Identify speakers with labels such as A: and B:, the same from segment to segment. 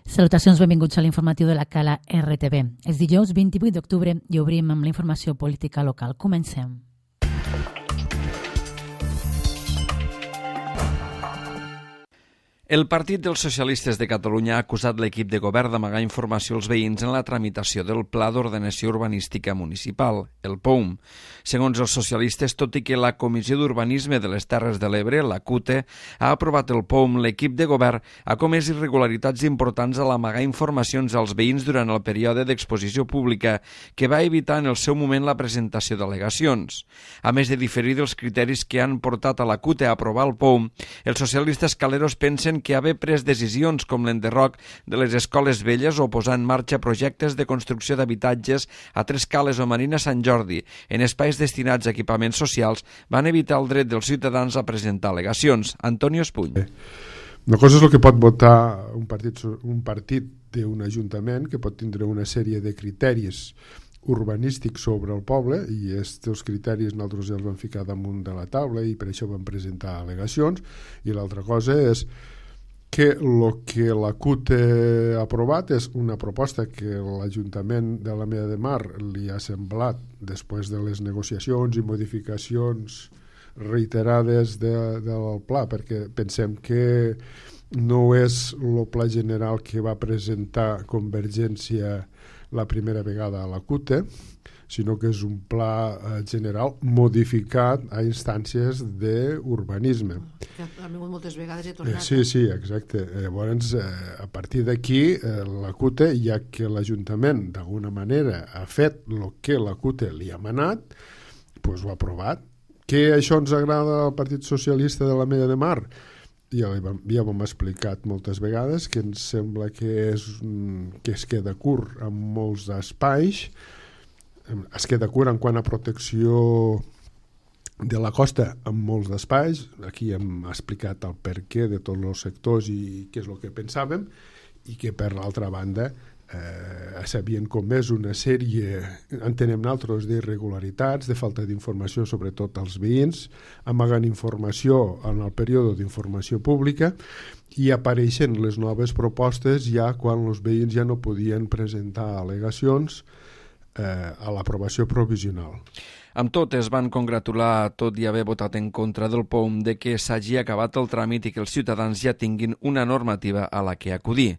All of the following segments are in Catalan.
A: Salutacions, benvinguts a l'informatiu de la Cala RTV. És dijous 28 d'octubre i obrim amb la informació política local. Comencem.
B: El Partit dels Socialistes de Catalunya ha acusat l'equip de govern d'amagar informació als veïns en la tramitació del Pla d'Ordenació Urbanística Municipal, el POUM. Segons els socialistes, tot i que la Comissió d'Urbanisme de les Terres de l'Ebre, la CUTE, ha aprovat el POUM, l'equip de govern ha comès irregularitats importants a l'amagar informacions als veïns durant el període d'exposició pública, que va evitar en el seu moment la presentació d'al·legacions. A més de diferir dels criteris que han portat a la CUTE a aprovar el POUM, els socialistes caleros pensen que haver pres decisions com l'enderroc de les escoles velles o posar en marxa projectes de construcció d'habitatges a Tres Cales o Marina Sant Jordi en espais destinats a equipaments socials van evitar el dret dels ciutadans a presentar al·legacions. Antonio Espuny.
C: Una cosa és el que pot votar un partit d'un ajuntament, que pot tindre una sèrie de criteris urbanístics sobre el poble, i aquests criteris nosaltres els vam ficar damunt de la taula i per això vam presentar al·legacions, i l'altra cosa és que el que la CUT ha aprovat és una proposta que l'Ajuntament de l'Ametlla de Mar li ha semblat, després de les negociacions i modificacions reiterades del pla, perquè pensem que no és el pla general que va presentar Convergència la primera vegada a la CUT, sinó que és un pla general modificat a instàncies d'urbanisme.
D: Ha vingut moltes vegades i tornat.
C: Sí, exacte. Llavors, a partir d'aquí, la CUT, ja que l'Ajuntament d'alguna manera ha fet el que la CUT li ha manat, doncs ho ha aprovat. Que això ens agrada al Partit Socialista de l'Ametlla de Mar? Ja ho hem explicat moltes vegades, que ens sembla que es queda curt en molts espais, es queda curt en quant a protecció de la costa en molts espais. Aquí hem explicat el perquè de tots els sectors i què és el que pensàvem, i que per l'altra banda s'havien comès una sèrie, entenem nosaltres, d'irregularitats, de falta d'informació sobretot als veïns, amagant informació en el període d'informació pública, i apareixen les noves propostes ja quan els veïns ja no podien presentar al·legacions a l'aprovació provisional.
B: Amb tot, es van congratular, tot i haver votat en contra del POUM, de que s'hagi acabat el tràmit i que els ciutadans ja tinguin una normativa a la que acudir.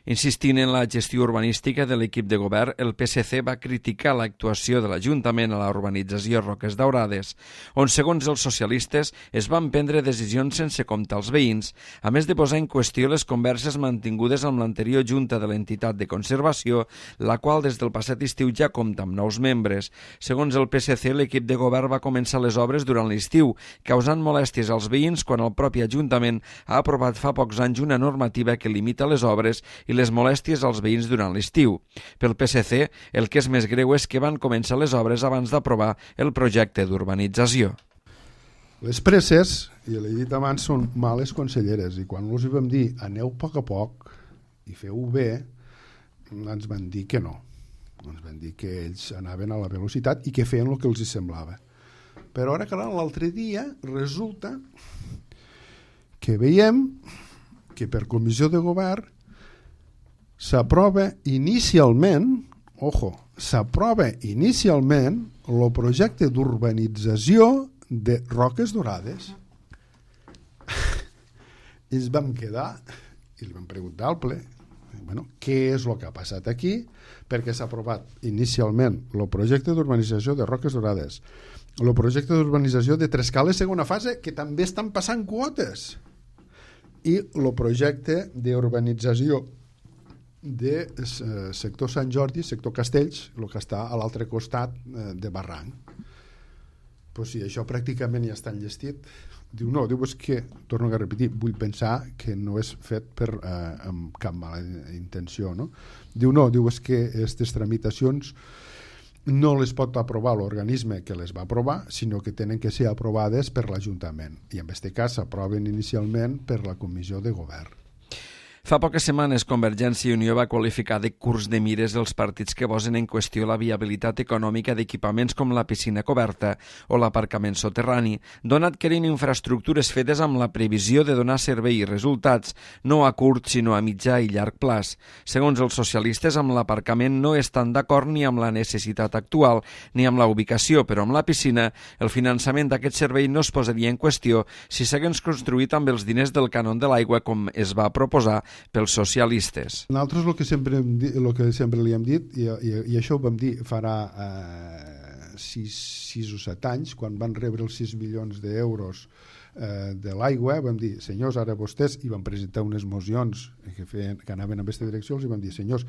B: Insistint en la gestió urbanística de l'equip de govern, el PSC va criticar l'actuació de l'Ajuntament a la urbanització Roques Daurades, on, segons els socialistes, es van prendre decisions sense comptar els veïns, a més de posar en qüestió les converses mantingudes amb l'anterior Junta de l'entitat de conservació, la qual des del passat estiu ja compta amb nous membres. Segons el PSC, l'equip de govern va començar les obres durant l'estiu, causant molèsties als veïns quan el propi Ajuntament ha aprovat fa pocs anys una normativa que limita les obres i les molèsties als veïns durant l'estiu. Pel PSC, el que és més greu és que van començar les obres abans d'aprovar el projecte d'urbanització.
C: Les presses, i l'he dit abans, són males conselleres, i quan els vam dir aneu a poc i feu bé, ens van dir que no. Ens van dir que ells anaven a la velocitat i que feien el que els semblava. Però ara, clar, l'altre dia resulta que veiem que per comissió de govern s'aprova inicialment el projecte d'urbanització de Roques Daurades. I ens vam quedar i li vam preguntar al ple què és el que ha passat aquí, perquè s'ha aprovat inicialment el projecte d'urbanització de Roques Daurades, el projecte d'urbanització de Tres Cales segona fase, que també estan passant quotes, i el projecte d'urbanització de sector Sant Jordi, sector Castells, el que està a l'altre costat de Barranc. Pues si això pràcticament ja està enllestit, diu és que, torno a repetir, vull pensar que no és fet amb cap mala intenció, no? Diu és que aquestes tramitacions no les pot aprovar l'organisme que les va aprovar, sinó que tenen que ser aprovades per l'Ajuntament, i en aquest cas s'aproven inicialment per la Comissió de Govern.
B: Fa poques setmanes, Convergència i Unió va qualificar de curs de mires els partits que posen en qüestió la viabilitat econòmica d'equipaments com la piscina coberta o l'aparcament soterrani, donat que eren infraestructures fetes amb la previsió de donar servei i resultats, no a curt sinó a mitjà i llarg plaç. Segons els socialistes, amb l'aparcament no estan d'acord ni amb la necessitat actual ni amb la ubicació, però amb la piscina el finançament d'aquest servei no es posaria en qüestió si s'hagués construït amb els diners del cànon de l'aigua com es va proposar pels socialistes.
E: Nosaltres el que sempre li hem dit, i això ho vam dir farà 6 o 7 anys, quan van rebre els 6 milions d'euros de l'aigua, vam dir, senyors, ara vostès, i van presentar unes mocions que anaven en aquesta direcció, els vam dir, senyors,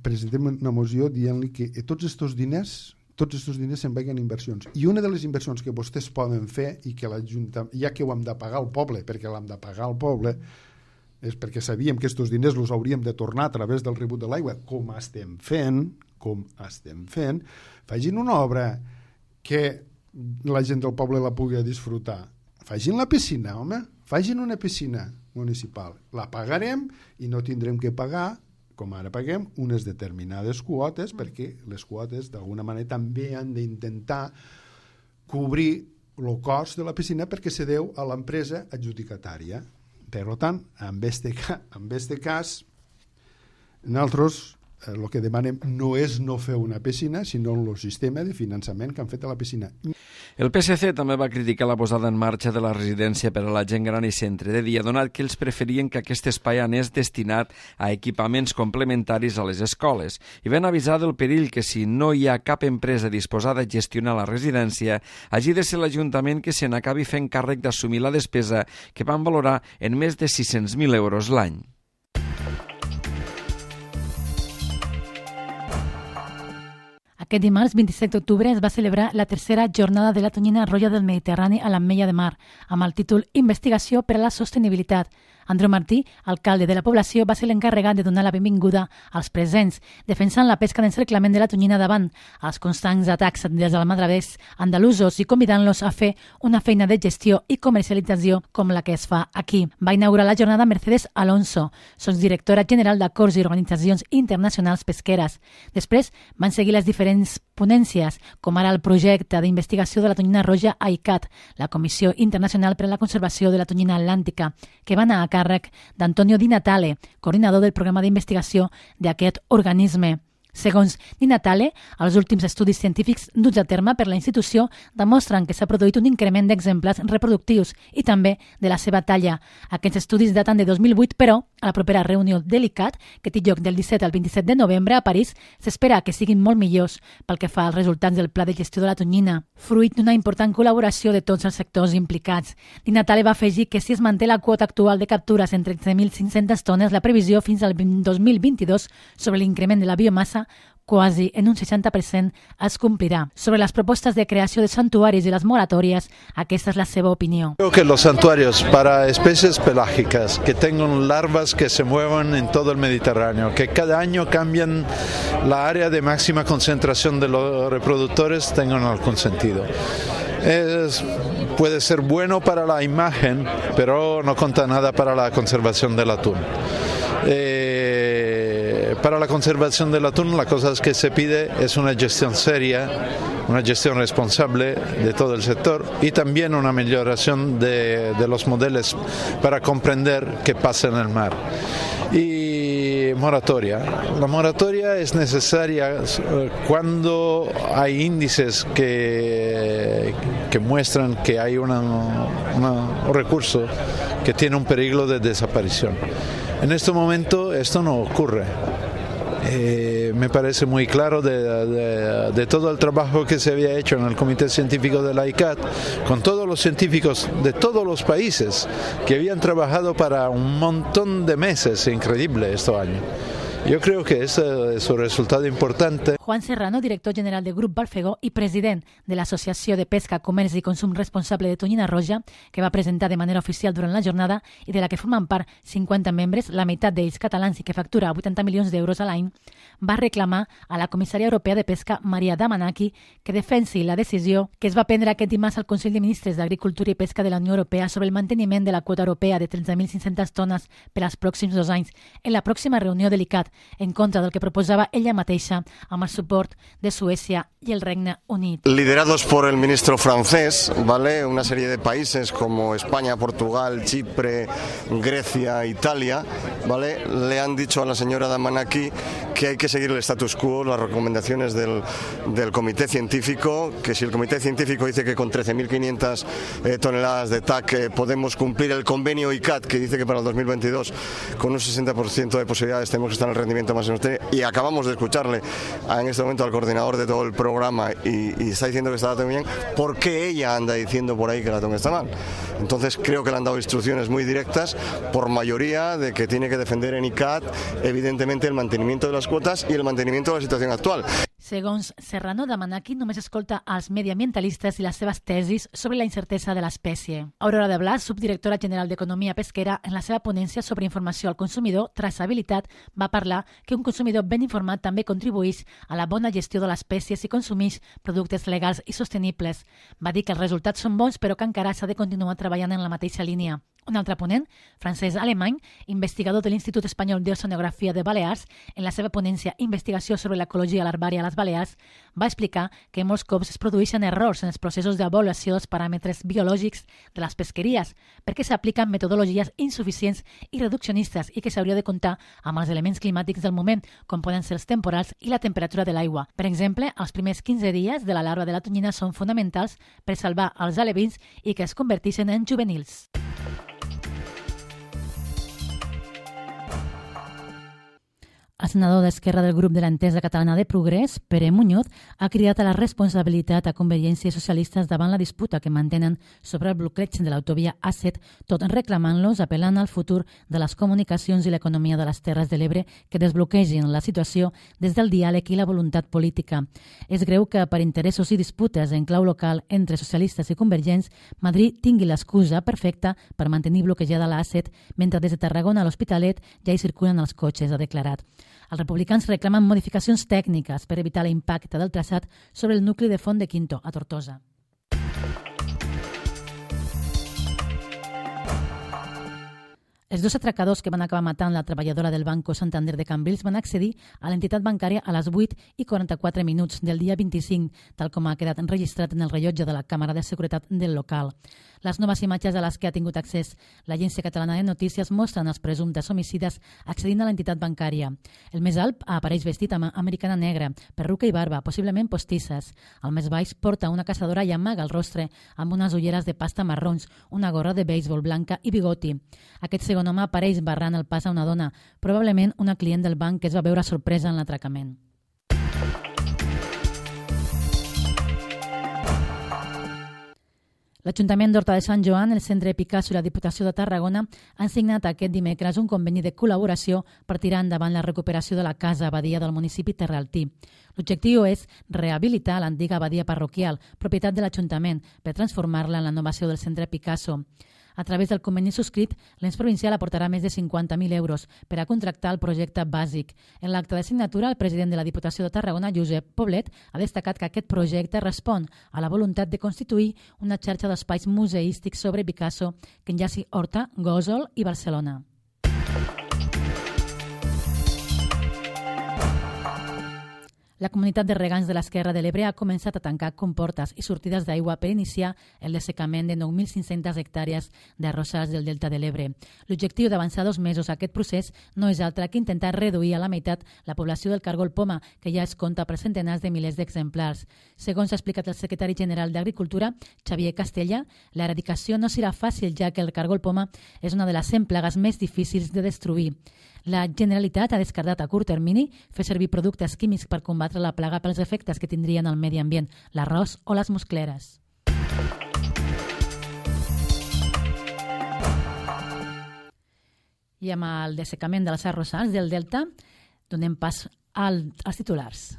E: presentem una moció dient-li que tots aquests diners se'n vagin a inversions. I una de les inversions que vostès poden fer, i que l'Ajuntament, ja que ho hem de pagar al poble, perquè l'hem de pagar al poble, és perquè sabíem que aquests diners els hauríem de tornar a través del rebut de l'aigua, com estem fent, facin una obra que la gent del poble la pugui disfrutar. Facin la piscina, home, facin una piscina municipal. La pagarem i no tindrem que pagar, com ara paguem, unes determinades quotes, perquè les quotes d'alguna manera també han d'intentar cobrir el cost de la piscina perquè se deu a l'empresa adjudicatària. Per tant, en este cas, nosaltres el que demanem no és no fer una piscina, sinó el sistema de finançament que han fet a la piscina.
B: El PSC també va criticar la posada en marxa de la residència per a la gent gran i centre de dia, donat que ells preferien que aquest espai anés destinat a equipaments complementaris a les escoles i van avisar del perill que si no hi ha cap empresa disposada a gestionar la residència, hagi de ser l'Ajuntament que se n'acabi fent càrrec d'assumir la despesa que van valorar en més de 600.000 euros l'any.
A: Aquest dimarts, 27 d'octubre, es va celebrar la tercera jornada de la tonyina roja del Mediterrani a l'Ametlla de Mar, amb el títol Investigació per a la sostenibilitat. Andreu Martí, alcalde de la població, va ser l'encarregat de donar la benvinguda als presents, defensant la pesca d'encerclament de la tonyina davant els constants atacs dels almadravers andalusos i convidant-los a fer una feina de gestió i comercialització com la que es fa aquí. Va inaugurar la jornada Mercedes Alonso, sotsdirectora general d'Acords i Organitzacions Internacionals Pesqueres. Després van seguir les diferents ponències, com ara el projecte d'investigació de la tonyina roja a ICAT, la Comissió Internacional per a la Conservació de la Tonyina Atlàntica, que va anar a càrrec d'Antonio Di Natale, coordinador del programa d'investigació d'aquest organisme. Segons Di Natale, els últims estudis científics duts a terme per la institució demostren que s'ha produït un increment d'exemplars reproductius i també de la seva talla. Aquests estudis daten de 2008, però a la propera reunió de l'ICAT, que té lloc del 17 al 27 de novembre a París, s'espera que siguin molt millors pel que fa als resultats del pla de gestió de la tonyina, fruit d'una important col·laboració de tots els sectors implicats. Di Natale va afegir que si es manté la quota actual de captures en 13.500 tones, la previsió fins al 2022 sobre l'increment de la biomassa quasi en un 60% es complirà. Sobre las propuestas de creación de santuarios y las moratorias, aquesta es la seva opinión.
F: Creo que los santuarios para especies pelágicas que tengan larvas que se muevan en todo el Mediterráneo, que cada año cambian la área de máxima concentración de los reproductores, tengan algún sentido. Puede ser bueno para la imagen, pero no cuenta nada para la conservación del atún. Para la conservación del atún, la cosa que se pide es una gestión seria, una gestión responsable de todo el sector y también una mejoración de los modelos para comprender qué pasa en el mar. Y moratoria. La moratoria es necesaria cuando hay índices que muestran que hay un recurso que tiene un peligro de desaparición. En este momento esto no ocurre. Me parece muy claro de todo el trabajo que se había hecho en el Comité Científico de la ICAT, con todos los científicos de todos los países que habían trabajado para un montón de meses, increíble estos años. Yo creo que ese es un resultado importante.
A: Juan Serrano, director general del Grup Balfegó i president de l'Associació de Pesca, Comerç i Consum Responsable de Tonyina Roja, que va presentar de manera oficial durant la jornada i de la que formen part 50 membres, la meitat d'ells catalans i que factura 80 milions d'euros a l'any, va reclamar a la comissària europea de pesca, Maria Damanaki, que defensi la decisió que es va prendre aquest dimarts al Consell de Ministres d'Agricultura i Pesca de la Unió Europea sobre el manteniment de la quota europea de 13.500 tones per als pròxims 2 anys en la pròxima reunió de l'ICCAT, en contra del que proposava ella mateixa amb el suport de Suècia y el Regne Unido.
G: Liderados por el ministro francés, ¿vale? Una serie de países como España, Portugal, Chipre, Grecia, Italia, ¿vale? Le han dicho a la señora Damanaki que hay que seguir el status quo, las recomendaciones del comité científico, que si el comité científico dice que con 13.500 toneladas de TAC podemos cumplir el convenio ICCAT, que dice que para el 2022 con un 60% de posibilidades tenemos que estar en el rendimiento máximo sostenible, y acabamos de escucharle en este momento al coordinador de todo el programa y está diciendo que está la muy bien, ¿por qué ella anda diciendo por ahí que la TOM está mal? Entonces creo que le han dado instrucciones muy directas por mayoría de que tiene que defender en ICCAT evidentemente el mantenimiento de las cuotas y el mantenimiento de la situación actual.
A: Segons Serrano, Damanaki només escolta als mediambientalistes i les seves tesis sobre la incertesa de l'espècie. Aurora de Blas, subdirectora general d'Economia Pesquera, en la seva ponència sobre informació al consumidor, traçabilitat, va parlar que un consumidor ben informat també contribueix a la bona gestió de l'espècie si consumeix productes legals i sostenibles. Va dir que els resultats són bons, però que encara s'ha de continuar treballant en la mateixa línia. Un altre ponent, Francesc Alemany, investigador de l'Institut Espanyol d'Oceanografia de Balears, en la seva ponència Investigació sobre l'ecologia larvària a les Balears, va explicar que molts cops es produeixen errors en els processos d'avaluació dels paràmetres biològics de les pesqueries, perquè s'apliquen metodologies insuficients i reduccionistes i que s'hauria de comptar amb els elements climàtics del moment, com poden ser els temporals i la temperatura de l'aigua. Per exemple, els primers 15 dies de la larva de la tonyina són fonamentals per salvar els alevins i que es converteixen en juvenils. El senador d'Esquerra del grup de l'Entesa Catalana de Progrés, Pere Muñoz, ha cridat a la responsabilitat a Convergència i Socialistes davant la disputa que mantenen sobre el bloqueig de l'autovia A7, tot reclamant-los, apel·lant al futur de les comunicacions i l'economia de les Terres de l'Ebre que desbloquegin la situació des del diàleg i la voluntat política. És greu que, per interessos i disputes en clau local entre socialistes i convergents, Madrid tingui l'excusa perfecta per mantenir bloquejada la A7, mentre des de Tarragona a l'Hospitalet ja hi circulen els cotxes, ha declarat. Els republicans reclamen modificacions tècniques per evitar l'impacte del traçat sobre el nucli de Font de Quinto, a Tortosa. Els dos atracadors que van acabar matant la treballadora del Banco Santander de Cambrils van accedir a l'entitat bancària a les 8:44 del dia 25, tal com ha quedat enregistrat en el rellotge de la càmera de seguretat del local. Les noves imatges a les que ha tingut accés l'Agència Catalana de Notícies mostren els presumptes homicides accedint a l'entitat bancària. El més alt apareix vestit amb americana negra, perruca i barba, possiblement postisses. El més baix porta una caçadora i amaga el rostre amb unes ulleres de pasta marrons, una gorra de béisbol blanca i bigoti. Aquest segon home apareix barrant el pas a una dona, probablement una client del banc que es va veure sorpresa en l'atracament. L'Ajuntament d'Horta de Sant Joan, el Centre Picasso i la Diputació de Tarragona han signat aquest dimecres un conveni de col·laboració per tirar endavant la recuperació de la casa abadia del municipi terraltí. L'objectiu és rehabilitar l'antiga abadia parroquial, propietat de l'Ajuntament, per transformar-la en la innovació del Centre Picasso. A través del conveni subscrit, l'ens provincial aportarà més de 50.000 euros per a contractar el projecte bàsic. En l'acte de signatura, el president de la Diputació de Tarragona, Josep Poblet, ha destacat que aquest projecte respon a la voluntat de constituir una xarxa d'espais museístics sobre Picasso que enllaci Horta, Gósol i Barcelona. La comunitat de regants de l'Esquerra de l'Ebre ha començat a tancar comportes i sortides d'aigua per iniciar el dessecament de 9.500 hectàrees d'arrossars del Delta de l'Ebre. L'objectiu d'avançar 2 mesos a aquest procés no és altre que intentar reduir a la meitat la població del cargol poma, que ja es compta per centenars de milers d'exemplars. Segons ha explicat el secretari general d'Agricultura, Xavier Castella, l'eradicació no serà fàcil, ja que el cargol poma és una de les 100 plagues més difícils de destruir. La Generalitat ha descartat a curt termini fer servir productes químics per combatre la plaga pels efectes que tindrien al medi ambient, l'arròs o les muscleres. I amb el dessecament dels arrossars del Delta, Donem pas als titulars.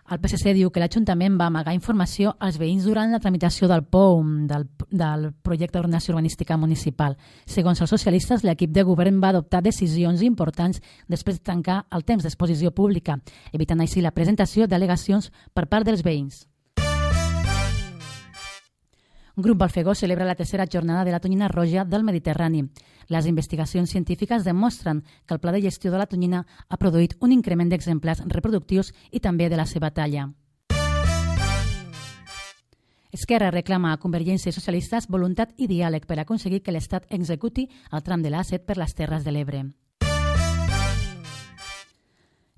A: El PSC diu que l'Ajuntament va amagar informació als veïns durant la tramitació del POUM, del projecte d'ordenació urbanística municipal. Segons els socialistes, l'equip de govern va adoptar decisions importants després de tancar el temps d'exposició pública, evitant així la presentació d'al·legacions per part dels veïns. Grup Balfegó celebra la tercera jornada de la tonyina roja del Mediterrani. Les investigacions científiques demostren que el pla de gestió de la tonyina ha produït un increment d'exemplars reproductius i també de la seva talla. Esquerra reclama a Convergència i Socialistes voluntat i diàleg per aconseguir que l'Estat executi el tram de l'A7 per les Terres de l'Ebre.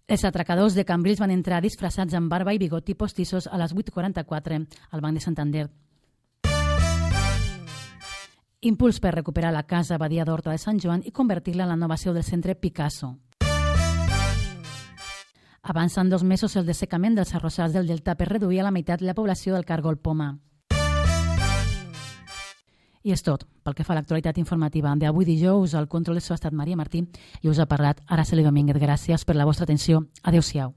A: Els atracadors de Cambrils van entrar disfressats amb barba i bigoti postissos a les 8:44 al Banc de Santander. Impuls per recuperar la casa Badia d'Horta de Sant Joan i convertir-la en la nova seu del centre Picasso. Avançant 2 mesos el dessecament dels arrossars del Delta per reduir a la meitat la població del Cargol Poma. I és tot. Pel que fa a l'actualitat informativa d'avui dijous, al control de so ha estat Maria Martí i us ha parlat Araceli Domínguez. Gràcies per la vostra atenció. Adéu-siau.